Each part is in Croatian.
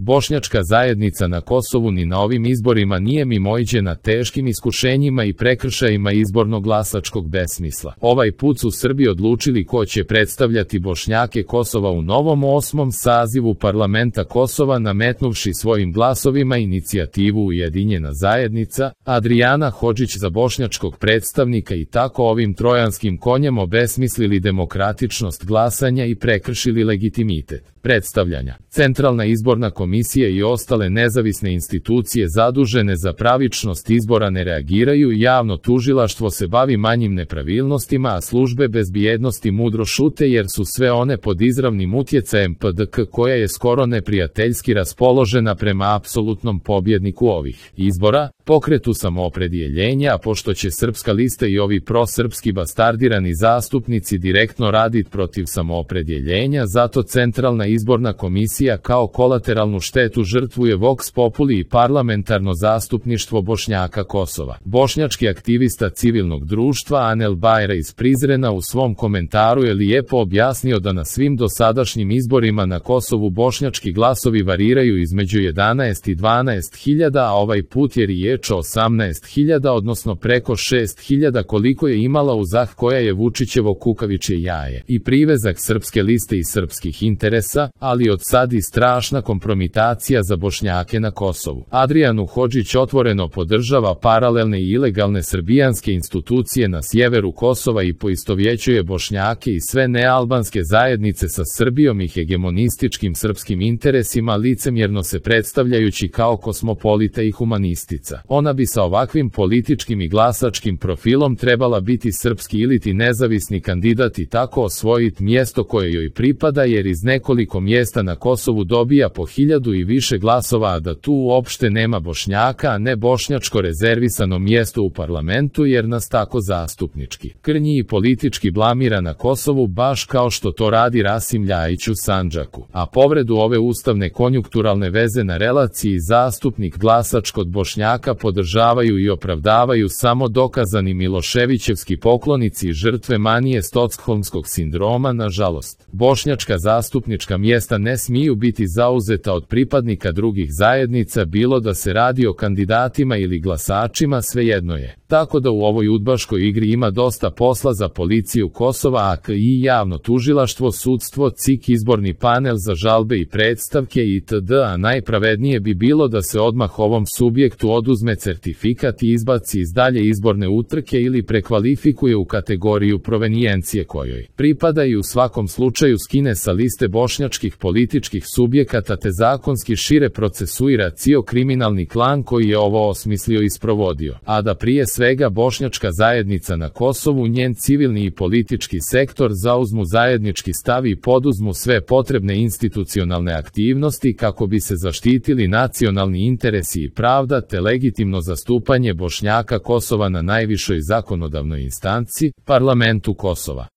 Bošnjačka zajednica na Kosovu ni na ovim izborima nije mimoiđena teškim iskušenjima i prekršajima izborno-glasačkog besmisla. Ovaj put su Srbi odlučili ko će predstavljati Bošnjake Kosova u novom 8. sazivu parlamenta Kosova, nametnuvši svojim glasovima inicijativu Ujedinjena zajednica, Adrijana Hodžić za bošnjačkog predstavnika i tako ovim trojanskim konjem obesmislili demokratičnost glasanja i prekršili legitimitet predstavljanja. Centralna izborna komisija i ostale nezavisne institucije zadužene za pravičnost izbora ne reagiraju, javno tužilaštvo se bavi manjim nepravilnostima, a službe bezbjednosti mudro šute jer su sve one pod izravnim utjecajem PDK, koja je skoro neprijateljski raspoložena prema apsolutnom pobjedniku ovih izbora, Pokretu samoopredjeljenja, a pošto će Srpska lista i ovi prosrpski bastardirani zastupnici direktno raditi protiv samoopredjeljenja, zato Centralna izborna komisija kao kolateralnu štetu žrtvuje Vox Populi i parlamentarno zastupništvo Bošnjaka Kosova. Bošnjački aktivista civilnog društva Anel Bajra iz Prizrena u svom komentaru je lijepo objasnio da na svim dosadašnjim izborima na Kosovu bošnjački glasovi variraju između 11 i 12 hiljada, a ovaj put je riječ o 18 hiljada, odnosno preko 6 hiljada koliko je imala u Zah, koja je Vučićevo kukavičje jaje i privezak Srpske liste i srpskih interesa, ali od sad i strašna kompromitacija za Bošnjake na Kosovu. Adrijanu Hodžić otvoreno podržava paralelne i ilegalne srbijanske institucije na sjeveru Kosova i poistovjećuje Bošnjake i sve nealbanske zajednice sa Srbijom i hegemonističkim srpskim interesima, licemjerno se predstavljajući kao kosmopolita i humanistica. Ona bi sa ovakvim političkim i glasačkim profilom trebala biti srpski iliti nezavisni kandidat i tako osvojiti mjesto koje joj pripada, jer iz nekoliko mjesta na Kosovu dobija po 1000 i više glasova, a da tu uopšte nema Bošnjaka, a ne bošnjačko rezervisano mjesto u parlamentu, jer nas tako zastupnički krnji i politički blamira na Kosovu, baš kao što to radi Rasim Ljajić u Sandžaku. A povredu ove ustavne konjunkturalne veze na relaciji zastupnik glasač kod Bošnjaka podržavaju i opravdavaju samo dokazani Miloševićevski poklonici i žrtve manije stokholmskog sindroma. Nažalost, bošnjačka zastupnička mjesta ne smiju biti zauzeta od pripadnika drugih zajednica, bilo da se radi o kandidatima ili glasačima, svejedno je. Tako da u ovoj udbaškoj igri ima dosta posla za policiju Kosova, AK i javno tužilaštvo, sudstvo, CIK, izborni panel za žalbe i predstavke itd., a najpravednije bi bilo da se odmah ovom subjektu oduzme certifikat i izbaci iz dalje izborne utrke ili prekvalifikuje u kategoriju provenijencije kojoj pripada i u svakom slučaju skine sa liste bošnjačkih političkih subjekata te zakonski šire procesuira cijel kriminalni klan koji je ovo osmislio i sprovodio, a da prije svega bošnjačka zajednica na Kosovu, njen civilni i politički sektor zauzmu zajednički stav i poduzmu sve potrebne institucionalne aktivnosti kako bi se zaštitili nacionalni interesi i pravda te legitimno zastupanje Bošnjaka Kosova na najvišoj zakonodavnoj instanci, parlamentu Kosova.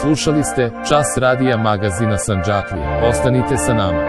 Slušali ste Čas radija magazina Sandžaklija. Ostanite sa nama.